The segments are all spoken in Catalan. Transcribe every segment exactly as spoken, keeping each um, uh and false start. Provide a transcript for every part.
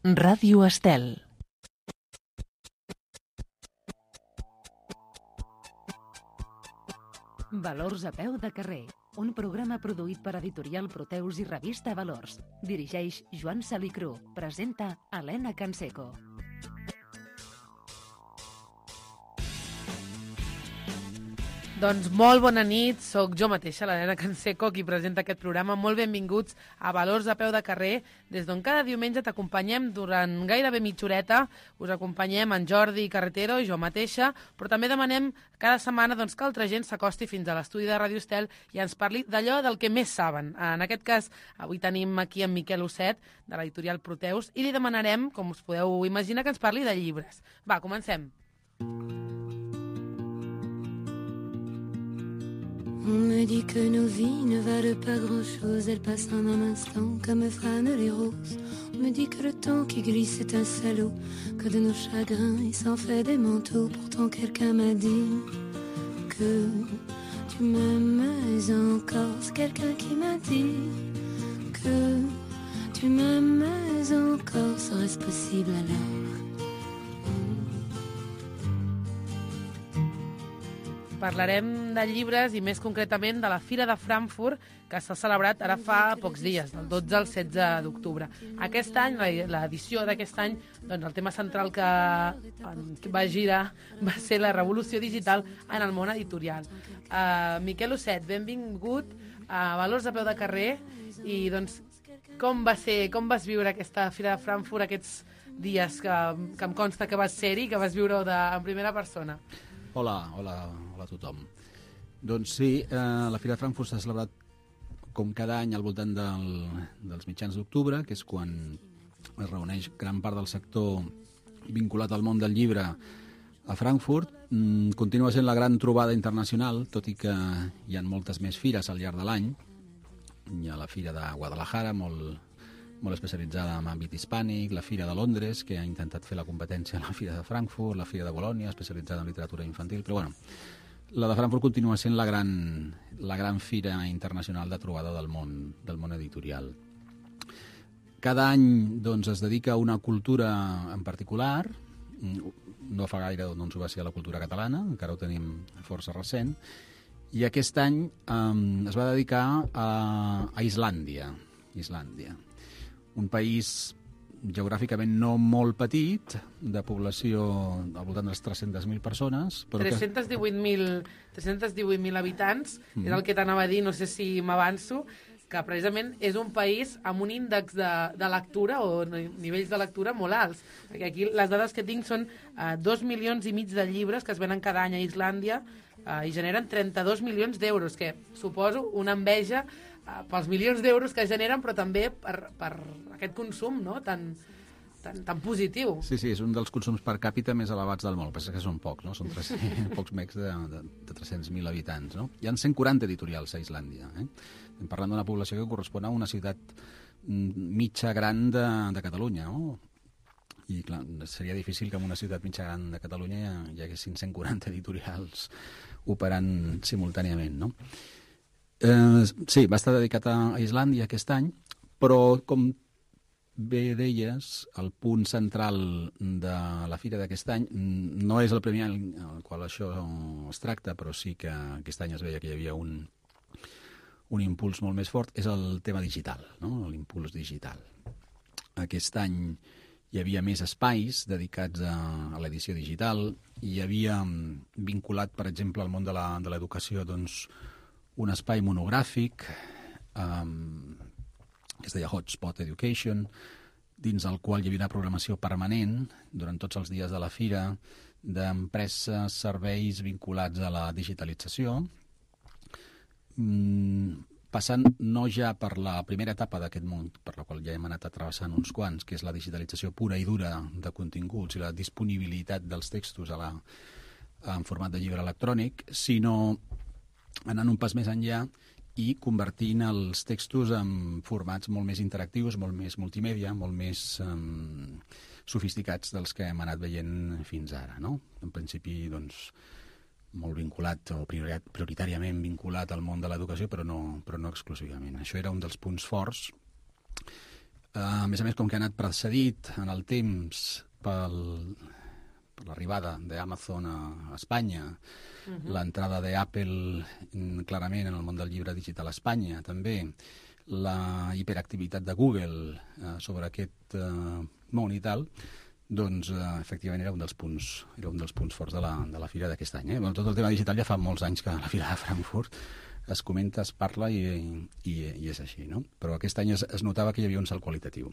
Ràdio Estel. Valors a peu de carrer, un programa produït per Editorial Proteus i Revista Valors. Dirigeix Joan Salicru. Presenta Helena Canseco. Doncs molt bona nit, sóc jo mateixa, l'Helena Canseco, qui presenta aquest programa. Molt benvinguts a Valors a peu de carrer, des d'on cada diumenge t'acompanyem durant gairebé mitja horeta. Us acompanyem en Jordi Carretero i jo mateixa, però també demanem cada setmana doncs, que altra gent s'acosti fins a l'estudi de Ràdio Estel i ens parli d'allò del que més saben. En aquest cas, avui tenim aquí en Miquel Osset, de l'editorial Proteus, i li demanarem, com us podeu imaginar, que ens parli de llibres. Va, comencem. On me dit que nos vies ne valent pas grand-chose, elles passent en un instant comme fanent les roses. On me dit que le temps qui glisse est un salaud, que de nos chagrins il s'en fait des manteaux. Pourtant quelqu'un m'a dit que tu m'aimes encore. C'est quelqu'un qui m'a dit que tu m'aimes encore. Serait-ce possible alors? Parlarem de llibres i més concretament de la Fira de Frankfurt, que s'ha celebrat ara fa pocs dies, del dotze al setze d'octubre. Aquest any, l'edició d'aquest any, doncs el tema central que va girar va ser la revolució digital en el món editorial. Uh, Miquel Osset, benvingut a Valors a peu de carrer. I doncs, com va ser, com vas viure aquesta Fira de Frankfurt aquests dies que, que em consta que vas ser-hi, que vas viure de, en primera persona? Hola, hola, hola a tothom. Doncs sí, eh, la Fira de Frankfurt s'ha celebrat com cada any al voltant del, dels mitjans d'octubre, que és quan es reuneix gran part del sector vinculat al món del llibre a Frankfurt. Mm, continua sent la gran trobada internacional, tot i que hi ha moltes més fires al llarg de l'any. Hi ha la Fira de Guadalajara, molt, molt especialitzada en àmbit hispànic, la Fira de Londres, que ha intentat fer la competència a la Fira de Frankfurt, la Fira de Bolònia, especialitzada en literatura infantil, però bueno, la de Frankfurt continua sent la gran, la gran fira internacional de trobada del món, del món editorial. Cada any doncs, es dedica a una cultura en particular. No fa gaire doncs, ho va ser a la cultura catalana, encara ho tenim força recent, i aquest any um, es va dedicar a, a Islàndia. Islàndia. Un país geogràficament no molt petit, de població al voltant de les tres-centes mil persones. Però tres-cents divuit mil habitants, mm. és el que t'anava a dir, no sé si m'avanço, que precisament és un país amb un índex de, de lectura o nivells de lectura molt alts. Perquè aquí les dades que tinc són uh, dos milions i mig de llibres que es venen cada any a Islàndia uh, i generen trenta-dos milions d'euros, que suposo una enveja uh, pels milions d'euros que generen, però també per, per aquest consum, no?, tan, tan, tan positiu. Sí, sí, és un dels consums per càpita més elevats del món. Pensa que són pocs, no? Són tres, pocs mecs de, de, de tres-cents mil habitants, no? Hi ha cent quaranta editorials a Islàndia, eh? Estem parlant d'una població que correspon a una ciutat mitja gran de, de Catalunya, no? I clar, seria difícil que en una ciutat mitja gran de Catalunya hi, hi haguessin cent quaranta editorials operant simultàniament, no? Eh, sí, va estar dedicat a Islàndia aquest any, però com bé deies, el punt central de la fira d'aquest any no és el primer any al qual això es tracta, però sí que aquest any es veia que hi havia un, un impuls molt més fort, és el tema digital, no? L'impuls digital. Aquest any hi havia més espais dedicats a, a l'edició digital, hi havia vinculat, per exemple, al món de l'educació, doncs, un espai monogràfic um, que es deia Hotspot Education, dins el qual hi havia una programació permanent durant tots els dies de la fira d'empreses, serveis vinculats a la digitalització, mm, passant no ja per la primera etapa d'aquest món, per la qual ja hem anat travessant uns quants, que és la digitalització pura i dura de continguts i la disponibilitat dels textos a la, en format de llibre electrònic, sinó anant un pas més enllà i convertint els textos en formats molt més interactius, molt més multimèdia, molt més um, sofisticats dels que hem anat veient fins ara, no? En principi, doncs, molt vinculat o prioritàriament vinculat al món de l'educació, però no, però no exclusivament. Això era un dels punts forts. a més a més, com que ha anat precedit en el temps pel, per l'arribada d'Amazon a Espanya, uh-huh. l'entrada d'Apple clarament en el món del llibre digital a Espanya, també la hiperactivitat de Google eh, sobre aquest eh, món i tal, doncs eh, efectivament era un dels punts, era un dels punts forts de la, de la fira d'aquest any. Eh? Bueno, tot el tema digital ja fa molts anys que a la fira de Frankfurt es comenta, es parla i, i, i és així, no? Però aquest any es, es notava que hi havia un salt qualitatiu.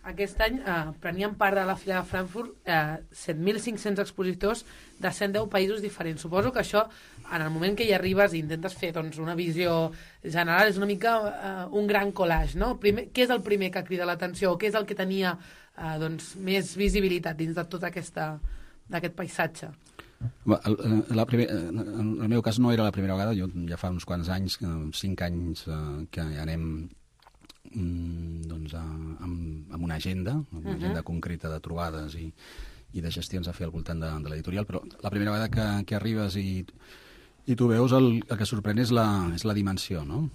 Aquest any eh, prenien part de la fira de Frankfurt eh, set mil cinc-cents expositors de cent deu països diferents. Suposo que això, en el moment que hi arribes i intentes fer doncs, una visió general, és una mica eh, un gran collage, no? Primer, què és el primer que crida l'atenció? Què és el que tenia eh, doncs, més visibilitat dins de tot aquesta, d'aquest paisatge? El, la primer, en el meu cas no era la primera vegada, jo ja fa uns quants anys, cinc anys, eh, que anem mm, doncs, a, amb, amb una agenda, amb una uh-huh. agenda concreta de trobades i, i de gestions a fer al voltant de, de l'editorial, però la primera vegada que, que arribes i, i tu veus, el, el que sorprèn és la, és la dimensió, no?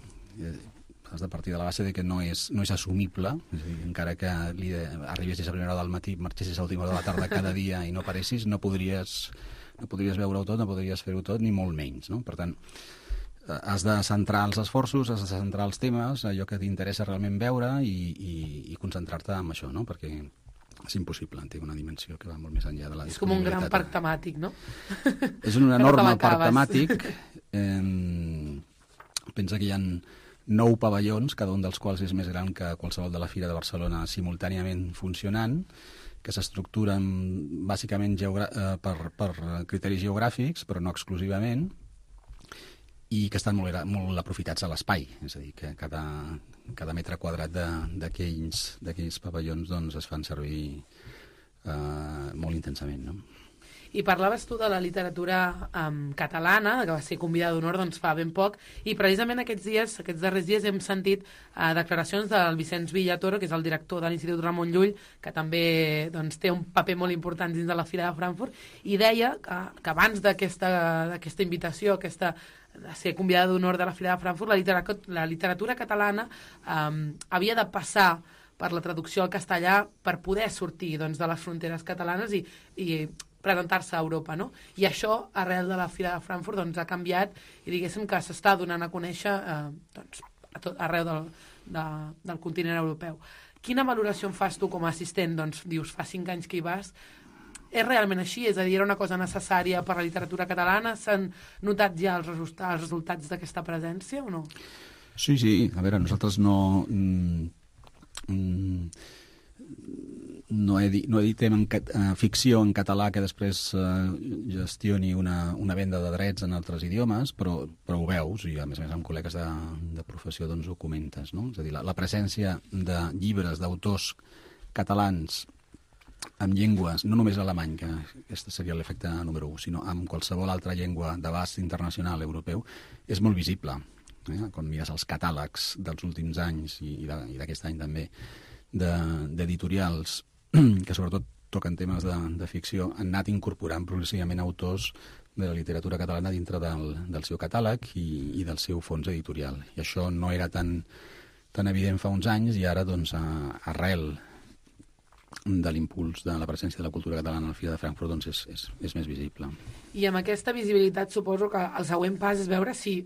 Has de partir de la base de que no és, no és assumible, és a dir, encara que li de, arribessis a primera hora del matí, marxessis a última hora de la tarda cada dia i no paressis, no podries... no podries veure-ho tot, no podries fer-ho tot, ni molt menys, no? Per tant, has de centrar els esforços, has de centrar els temes, allò que t'interessa realment veure i, i, i concentrar-te en això, no? Perquè és impossible, té una dimensió que va molt més enllà de la disponibilitat. És com un gran parc temàtic, no? És un enorme parc temàtic. Eh, pensa que hi ha nou pavellons, cada un dels quals és més gran que qualsevol de la Fira de Barcelona simultàniament funcionant, que s'estructuren bàsicament geogra- eh, per, per criteris geogràfics, però no exclusivament, i que estan molt, molt aprofitats a l'espai. És a dir, que cada, cada metre quadrat d'aquells pavellons doncs, es fan servir eh, molt intensament, no? I parlaves tu de la literatura um, catalana, que va ser convidada d'honor doncs, fa ben poc, i precisament aquests dies, aquests darrers dies, hem sentit uh, declaracions del Vicenç Villatoro, que és el director de l'Institut Ramon Llull, que també doncs, té un paper molt important dins de la Fira de Frankfurt, i deia que, que abans d'aquesta invitació, aquesta, de ser convidada d'honor de la Fira de Frankfurt, la literatura, la literatura catalana um, havia de passar per la traducció al castellà per poder sortir doncs, de les fronteres catalanes i, i presentar-se a Europa, no? I això, arrel de la Fira de Frankfurt, doncs, ha canviat i diguéssim que s'està donant a conèixer eh, doncs, a tot, arreu del, de, del continent europeu. Quina valoració en fas tu com a assistent? Doncs dius, fa cinc anys que hi vas. És realment així? És a dir, era una cosa necessària per a la literatura catalana? S'han notat ja els, resultats, els resultats d'aquesta presència o no? Sí, sí. A veure, nosaltres no... Mm, mm, No, edi no editem en uh, ficció en català que després uh, gestioni una, una venda de drets en altres idiomes, però, però ho veus, i a més a més amb col·legues de, de professió doncs ho comentes, no? És a dir, la, la presència de llibres d'autors catalans amb llengües, no només alemany, que aquest seria l'efecte número un, sinó amb qualsevol altra llengua d'abast internacional europeu, és molt visible. Eh? Quan mires els catàlegs dels últims anys i, i d'aquest any també, d'editorials que sobretot toquen temes de, de ficció, han anat incorporant progressivament autors de la literatura catalana dintre del, del seu catàleg i, i del seu fons editorial. I això no era tan, tan evident fa uns anys i ara, doncs, a, arrel de l'impuls de la presència de la cultura catalana a la Fira de Frankfurt, doncs és, és, és més visible. I amb aquesta visibilitat suposo que el següent pas és veure si,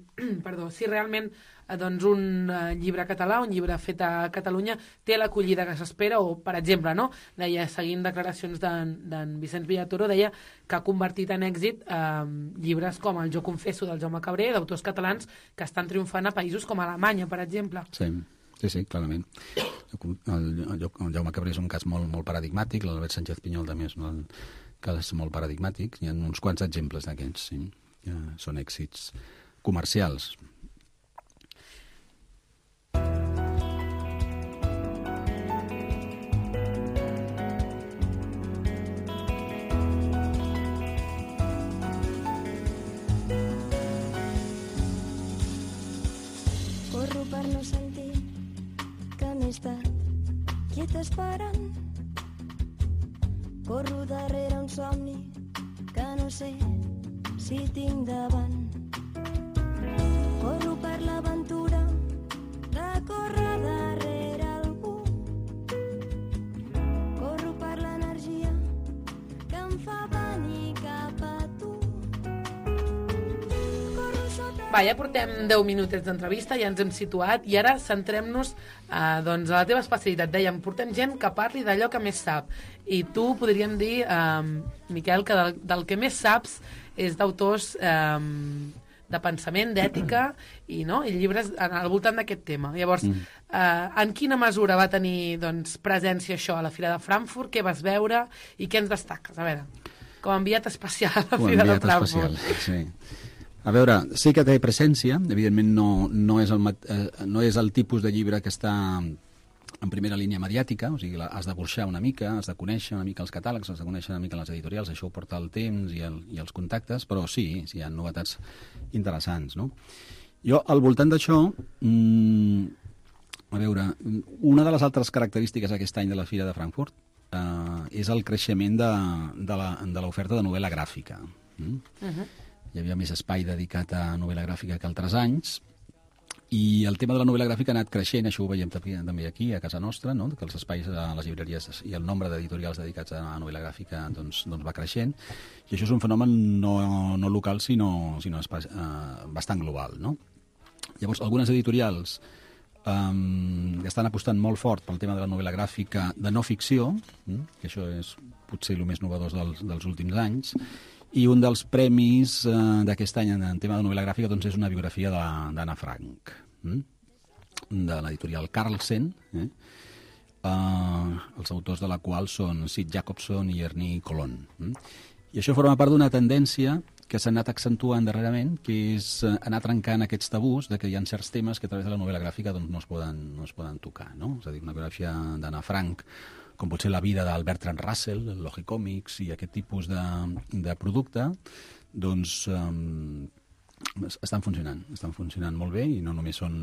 perdó, si realment doncs un uh, llibre català, un llibre fet a Catalunya, té l'acollida que s'espera, o, per exemple, no? Deia, seguint declaracions d'en Vicenç Villatoro, deia que ha convertit en èxit eh, llibres com el Jo confesso del Jaume Cabré, d'autors catalans que estan triomfant a països com Alemanya, per exemple. Sí. Sí, sí, clarament. El, el, el Jaume Cabré és un cas molt, molt paradigmàtic, l'Albert Sánchez Pinyol també és un cas molt paradigmàtic. Hi ha uns quants exemples d'aquests, sí. Ja són èxits comercials. Corro per no sentir que m'he estat quieta esperant. Corro darrere un somni que no sé si tinc davant. Corro per l'aventura de córrer darrere algú Va, ja portem deu minutets d'entrevista, ja ens hem situat, i ara centrem-nos eh, doncs, a la teva especialitat. Dèiem, portem gent que parli d'allò que més sap. I tu podríem dir, eh, Miquel, que del, del que més saps és d'autors eh, de pensament, d'ètica, i, no? I llibres al voltant d'aquest tema. Llavors, mm. eh, en quina mesura va tenir doncs, presència això a la Fira de Frankfurt? Què vas veure i què ens destaques? A veure, com a enviat especial a la Fira de Frankfurt. Especial, sí. A veure, sí que té presència, evidentment no, no, és el, eh, no és el tipus de llibre que està en primera línia mediàtica, o sigui, has de burxar una mica, has de conèixer una mica els catàlegs, has de conèixer una mica les editorials, això ho porta el temps i, el, i els contactes, però sí, sí, hi ha novetats interessants, no? Jo, al voltant d'això, mmm, a veure, una de les altres característiques aquest any de la Fira de Frankfurt eh, és el creixement de, de l'oferta de novel·la gràfica. Mm? Uh-huh. Hi havia més espai dedicat a novel·la gràfica que altres anys, i el tema de la novel·la gràfica ha anat creixent, això ho veiem també aquí, a casa nostra, no? Que els espais a les llibreries i el nombre d'editorials dedicats a novel·la gràfica doncs, doncs va creixent, i això és un fenomen no, no local, sinó, sinó espai, eh, bastant global, no? Llavors, algunes editorials um, estan apostant molt fort pel tema de la novel·la gràfica de no ficció, mm? Que això és potser el més novedós dels, dels últims anys, i un dels premis eh, d'aquest any en, en tema de novel·la gràfica doncs, és una biografia d'Anna Frank, hm? de l'editorial Carlsen, eh? uh, els autors de la qual són Sid Jacobson i Ernie Colon. Hm? I això forma part d'una tendència que s'ha anat accentuant darrerament, que és uh, anar trencant aquests tabús de que hi ha certs temes que a través de la novel·la gràfica doncs, no, es poden, no es poden tocar. No? És a dir, una biografia d'Anna Frank, com pot ser la vida del Bertrand Russell, el Logicomics i aquest tipus de, de producte, doncs um, estan funcionant, estan funcionant molt bé i no només són,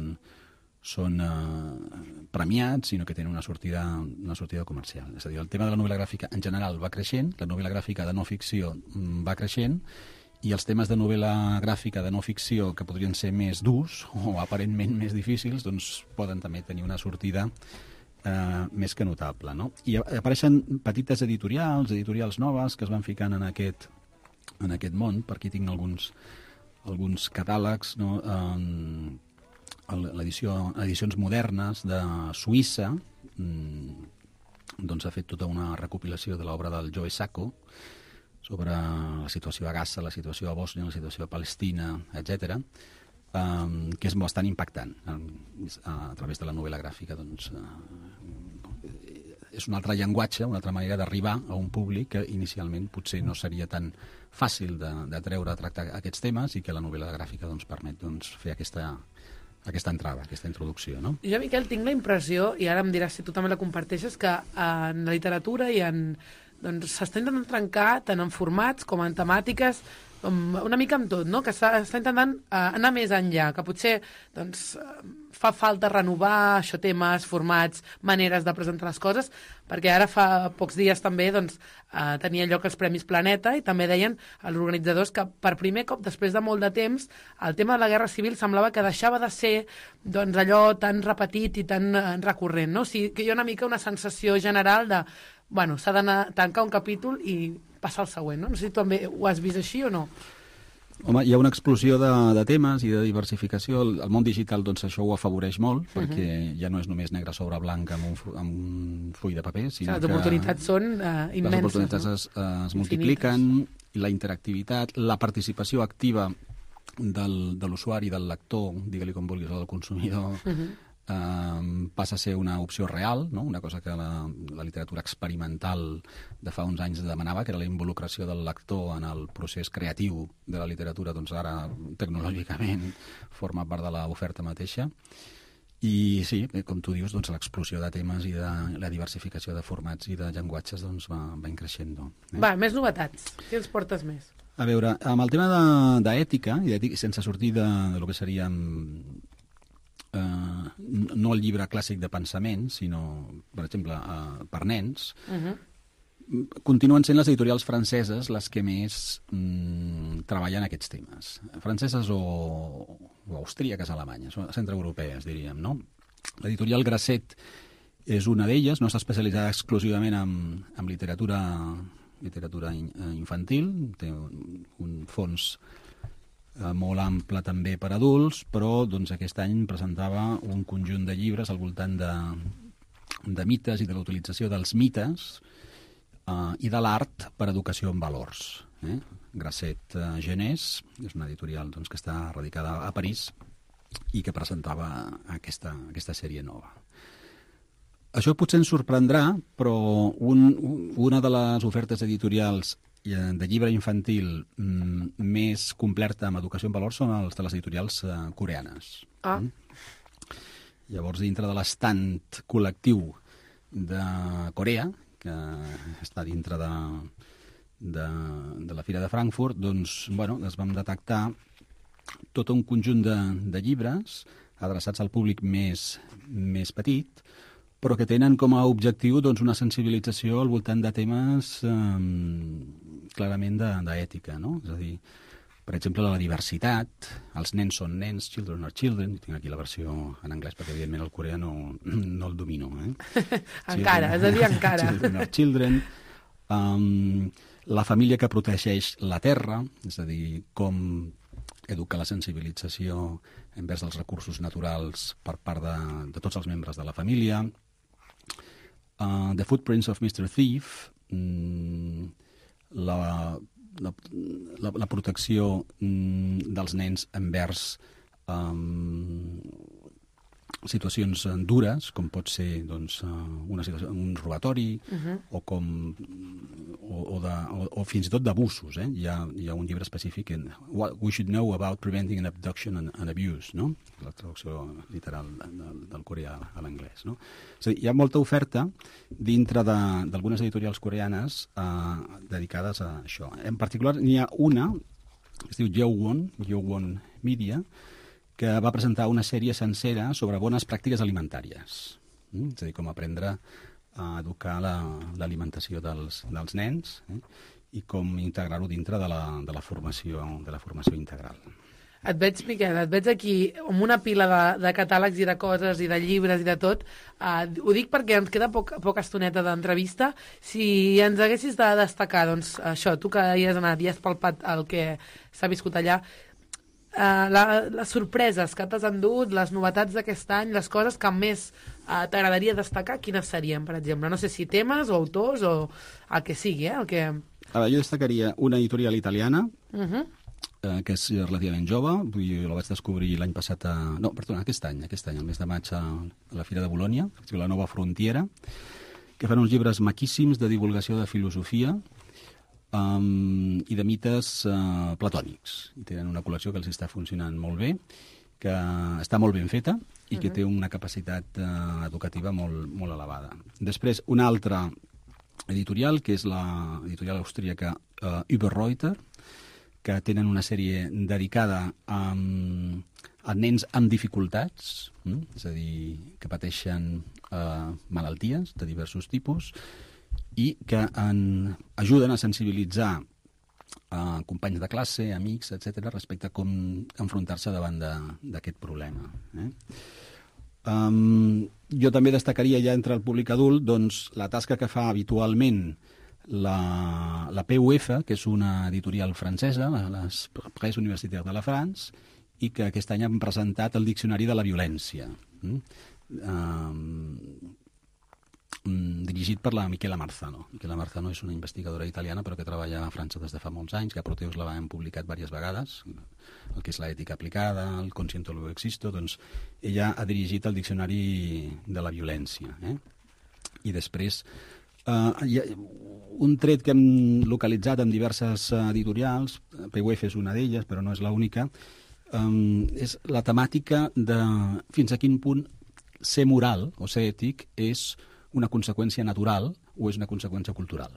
són uh, premiats, sinó que tenen una sortida, una sortida comercial. És a dir, el tema de la novel·la gràfica en general va creixent, la novel·la gràfica de no ficció va creixent, i els temes de novel·la gràfica de no ficció que podrien ser més durs o aparentment més difícils, doncs poden també tenir una sortida Uh, més que notable, no? I apareixen petites editorials, editorials noves que es van ficant en aquest, en aquest món. Per aquí tinc alguns, alguns catàlegs, no? Um, l'edició, edicions modernes de Suïssa, um, doncs ha fet tota una recopilació de l'obra del Joe Sacco sobre la situació a Gaza, la situació a Bòsnia, la situació a Palestina, etcètera, Um, que és bastant impactant um, a, a través de la novel·la gràfica. Doncs, uh, és un altre llenguatge, una altra manera d'arribar a un públic que inicialment potser no seria tan fàcil de, de treure a tractar aquests temes, i que la novel·la gràfica doncs, permet doncs, fer aquesta, aquesta entrada, aquesta introducció. No? Jo, Miquel, tinc la impressió, i ara em diràs si tu també la comparteixes, que en la literatura i en doncs s'està intentant trencar tant en formats com en temàtiques, una mica amb tot, no? Que s'està intentant uh, anar més enllà, que potser doncs, uh, fa falta renovar això, temes, formats, maneres de presentar les coses, perquè ara fa pocs dies també doncs, uh, tenia lloc els Premis Planeta, i també deien els organitzadors que per primer cop, després de molt de temps, el tema de la Guerra Civil semblava que deixava de ser doncs, allò tan repetit i tan uh, recurrent, no? O sigui, que hi ha una mica una sensació general de bueno, s'ha d'anar tancar un capítol i passar al següent, no? No sé si tu també ho has vist així o no. Home, hi ha una explosió de, de temes i de diversificació. El, el món digital, doncs, això ho afavoreix molt, perquè uh-huh. ja no és només negre sobre blanc amb un, amb un full de paper, sinó les oportunitats són uh, immenses. Les oportunitats no? es, es multipliquen, i la interactivitat, la participació activa del, de l'usuari, del lector, digue-li com vulguis, o del consumidor, uh-huh. Uh, passa a ser una opció real, no? Una cosa que la, la literatura experimental de fa uns anys demanava, que era la involucració del lector en el procés creatiu de la literatura, doncs ara tecnològicament forma part de l'oferta mateixa. I sí, com tu dius, doncs, l'explosió de temes i de la diversificació de formats i de llenguatges doncs, va, va increixent. Eh? Va, més novetats. Què ens portes més? A veure, amb el tema d'ètica, i d'ètica, sense sortir de, de lo que seria Uh, no el llibre clàssic de pensament, sinó, per exemple, uh, per nens, uh-huh. continuen sent les editorials franceses les que més mm, treballen aquests temes. Franceses o, o austríaques, alemanyes, o centreeuropees, diríem, no? L'editorial Grasset és una d'elles, no està especialitzada exclusivament en, en literatura, literatura infantil, té un, un fons eh, molt ample també per adults, però doncs, aquest any presentava un conjunt de llibres al voltant de, de mites i de la utilització dels mites eh, i de l'art per educació en valors. Eh? Grasset eh, Genés, és una editorial doncs, que està radicada a París i que presentava aquesta, aquesta sèrie nova. Això potser ens sorprendrà, però un, una de les ofertes editorials de llibre infantil mm, més completa amb educació en valors són els de les editorials eh, coreanes. Ah. Mm? Llavors, dintre de l'estant col·lectiu de Corea, que està dintre de, de, de la Fira de Frankfurt, doncs, bueno, es vam detectar tot un conjunt de, de llibres adreçats al públic més, més petit, però que tenen com a objectiu doncs, una sensibilització al voltant de temes eh, clarament d'ètica, no? És a dir, per exemple, la diversitat, els nens són nens, children are children, tinc aquí la versió en anglès perquè evidentment el coreà no, no el domino. Eh? Encara, és a dir, encara. Children are children, um, la família que protegeix la terra, és a dir, com educar la sensibilització envers dels recursos naturals per part de, de tots els membres de la família. Uh, The Footprints of mister Thief, mm, la, la, la, la protecció mm, dels nens envers um, situacions dures, com pot ser doncs, una situació, un robatori, uh-huh. o, com, o, o, de, o, o fins i tot d'abusos. Eh? Hi, ha, hi ha un llibre específic en What we should know about preventing an abduction and, and abuse, no? La traducció literal del, del coreà a l'anglès. No? És a dir, hi ha molta oferta dintre d'algunes editorials coreanes eh, dedicades a això. En particular, n'hi ha una que es diu Yeowon, Yeowon Media, que va presentar una sèrie sencera sobre bones pràctiques alimentàries. Mm? És a dir, com aprendre a educar l'alimentació la, dels, dels nens eh? i com integrar-ho dintre de la, de, la formació, de la formació integral. Et veig, Miquel, et veig aquí amb una pila de, de catàlegs i de coses i de llibres i de tot. Uh, ho dic perquè ens queda poc, poca estoneta d'entrevista. Si ens haguessis de destacar, doncs, això, tu que hi has anat i has palpat el que s'ha viscut allà, Uh, la, les sorpreses que t'has endut, les novetats d'aquest any, les coses que més uh, t'agradaria destacar, quines serien, per exemple? No sé si temes o autors o el que sigui, eh? El que... A veure, jo destacaria una editorial italiana, Uh-huh. eh, que és relativament jove, vull dir, la vaig descobrir l'any passat, a... no, perdona, aquest any, aquest any, el mes de maig a, a la Fira de Bologna, la Nova Frontiera, que fan uns llibres maquíssims de divulgació de filosofia, Um, i de mites uh, platònics. I tenen una col·lecció que els està funcionant molt bé, que està molt ben feta i que uh-huh. té una capacitat uh, educativa molt, molt elevada. Després, una altra editorial, que és l'editorial austríaca uh, Überreuter, que tenen una sèrie dedicada a, a nens amb dificultats, mm? és a dir, que pateixen uh, malalties de diversos tipus, i que en, ajuden a sensibilitzar a companys de classe, amics, etcètera, respecte a com enfrontar-se davant d'aquest problema. Eh? Um, jo també destacaria ja entre el públic adult doncs, la tasca que fa habitualment la, la P U F, que és una editorial francesa, les Presses Universitaires de la France, i que aquest any han presentat el Diccionari de la Violència. Mm? Um, dirigit per la Michela Marzano. Michela Marzano és una investigadora italiana però que treballa a França des de fa molts anys, que a Proteus la hem publicat diverses vegades, el que és l'ètica aplicada, el Consciente lo existo, doncs ella ha dirigit el Diccionari de la Violència. Eh? I després, eh, hi ha un tret que hem localitzat en diverses editorials, P U F és una d'elles, però no és l'única, eh, és la temàtica de fins a quin punt ser moral o ser ètic és una conseqüència natural o és una conseqüència cultural?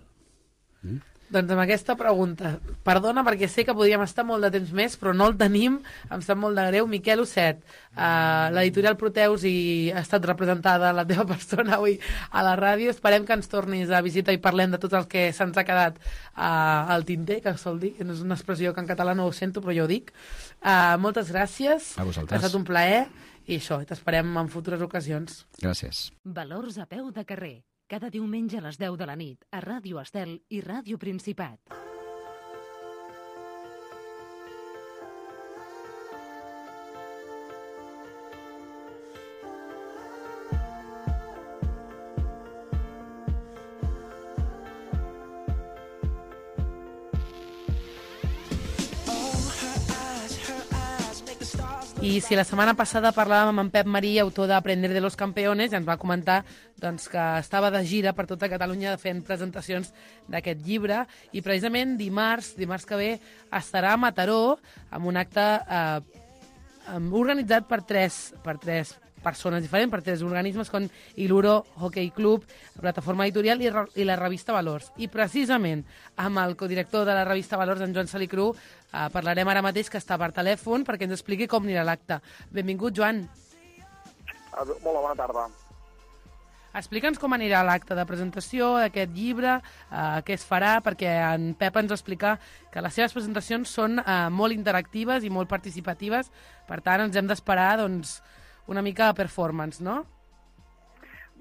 Mm? Doncs amb aquesta pregunta, perdona perquè sé que podríem estar molt de temps més, però no el tenim, em sap molt de greu. Miquel Osset, uh, l'editorial Proteus i ha estat representada la teva persona avui a la ràdio. Esperem que ens tornis a visitar i parlem de tot el que se'ns ha quedat uh, al tinter, que sol dir, que no és una expressió que en català no ho sento, però jo ho dic. Uh, moltes gràcies, a vosaltres. Ha estat un plaer. I això, t'esperem en futures ocasions. Gràcies. Valors a peu de carrer. Cada diumenge a les deu de la nit a Ràdio Estel i Ràdio Principat. I si la setmana passada parlàvem amb en Pep Marí, autor d'Aprender de los Campeones, i ens va comentar doncs, que estava de gira per tota Catalunya fent presentacions d'aquest llibre, i precisament dimarts, dimarts que ve, estarà a Mataró amb un acte eh, organitzat per tres, per tres persones diferents, per tres organismes com Iluro Hockey Club, la Plataforma Editorial i, i la revista Valors. I precisament amb el codirector de la revista Valors, en Joan Salicru, eh, parlarem ara mateix, que està per telèfon, perquè ens expliqui com anirà l'acte. Benvingut, Joan. Molt bona tarda. Explica'ns com anirà l'acte de presentació d'aquest llibre, eh, què es farà, perquè en Pep ens va explicar que les seves presentacions són eh, molt interactives i molt participatives, per tant ens hem d'esperar doncs, una mica de performance, no?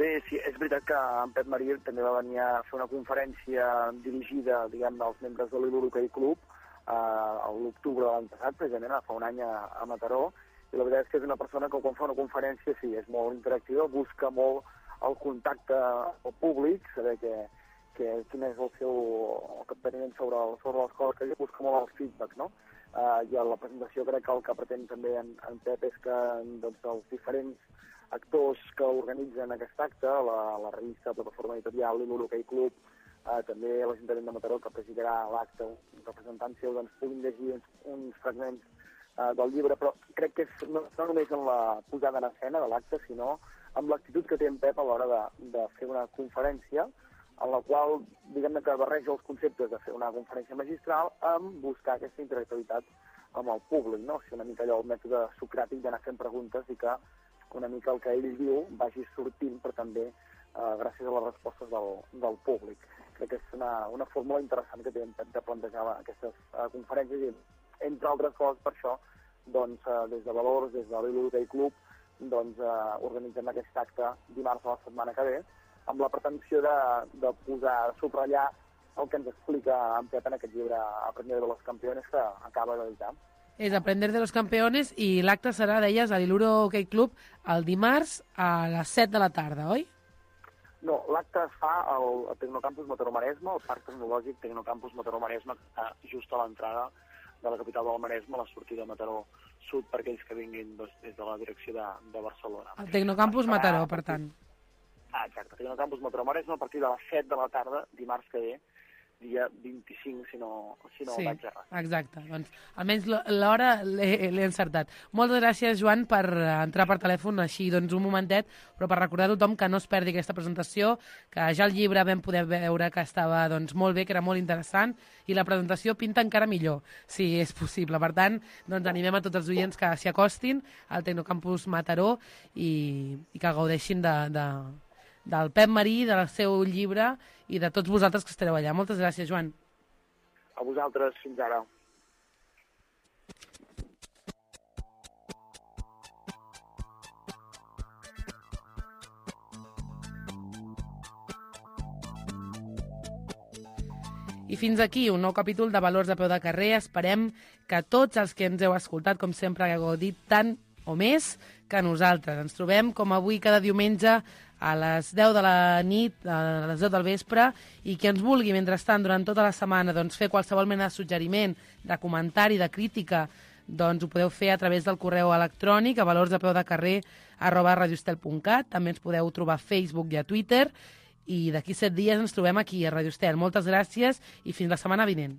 Bé, sí, és veritat que en Pep Marí també va venir a fer una conferència dirigida, diguem, als membres de l'Iluro Hockey Club eh, a l'octubre de l'any passat, precisament, fa un any a, a Mataró, i la veritat és que és una persona que quan fa una conferència, sí, és molt interactiva, busca molt el contacte al públic, saber que, que, quin és el seu capteniment sobre, sobre les coses que diu, busca molt el feedback, no? Uh, I a la presentació crec que el que pretén també en, en Pep és que doncs, els diferents actors que organitzen aquest acte, la, la revista, la Plataforma Editorial, l'Iluro Hockey Club, uh, també l'Ajuntament de Mataró, que presidirà l'acte, un representant seu, doncs, puguin llegir uns, uns fragments uh, del llibre, però crec que és no, no només en la posada en escena de l'acte, sinó amb l'actitud que té en Pep a l'hora de, de fer una conferència, en la qual, diguem-ne que barreja els conceptes de fer una conferència magistral amb buscar aquesta interactivitat amb el públic, no? O sigui, una mica allò el mètode socràtic d'anar fent preguntes i que una mica el que ell diu vagi sortint, però també eh, gràcies a les respostes del, del públic. Crec que és una, una fórmula interessant que té de plantejar aquestes eh, conferències i, entre altres coses, per això, doncs, eh, des de Valors, des de l'Iluro Hockey Club, doncs, eh, organitzem aquest acte dimarts de la setmana que ve, amb la pretensió de, de posar, de subratllar el que ens explica en Pep en aquest llibre Aprender de los Campeones que acaba d'editar. És Aprender de los Campeones i l'acte serà, deies, a l'Iluro Hockey Club el dimarts a les set de la tarda, oi? No, l'acte es fa al, al Tecnocampus Mataró-Maresme, al Parc Tecnològic Tecnocampus Mataró-Maresme, que està just a l'entrada de la capital del Maresme, a la sortida de Mataró Sud, per aquells que vinguin doncs, des de la direcció de, de Barcelona. El Tecnocampus Mataró, per tant. Ah, exacte, Tecnocampus Mataró-Maresme a partir de les set de la tarda, dimarts que ve, dia vint-i-cinc, si no, si no sí, vaig errat. Exacte, doncs almenys l'hora l'he encertat. Moltes gràcies, Joan, per entrar per telèfon així doncs un momentet, però per recordar a tothom que no es perdi aquesta presentació, que ja el llibre vam poder veure que estava doncs, molt bé, que era molt interessant, i la presentació pinta encara millor, si és possible. Per tant, doncs animem a tots els oients que s'hi acostin al Tecnocampus Mataró i, i que gaudeixin de, de, del Pep Marí, del seu llibre i de tots vosaltres que estareu allà. Moltes gràcies, Joan. A vosaltres, fins ara. I fins aquí un nou capítol de Valors a peu de carrer. Esperem que tots els que ens heu escoltat, com sempre, hagueu gaudit tant o més que nosaltres. Ens trobem, com avui, cada diumenge a les deu de la nit, a les deu del vespre, i qui ens vulgui, mentrestant, durant tota la setmana, doncs, fer qualsevol mena de suggeriment, de comentari, de crítica, doncs ho podeu fer a través del correu electrònic a valorsapeudecarrer arroba radiostel punt cat. També ens podeu trobar a Facebook i a Twitter. I d'aquí set dies ens trobem aquí, a Radio Estel. Moltes gràcies i fins la setmana vinent.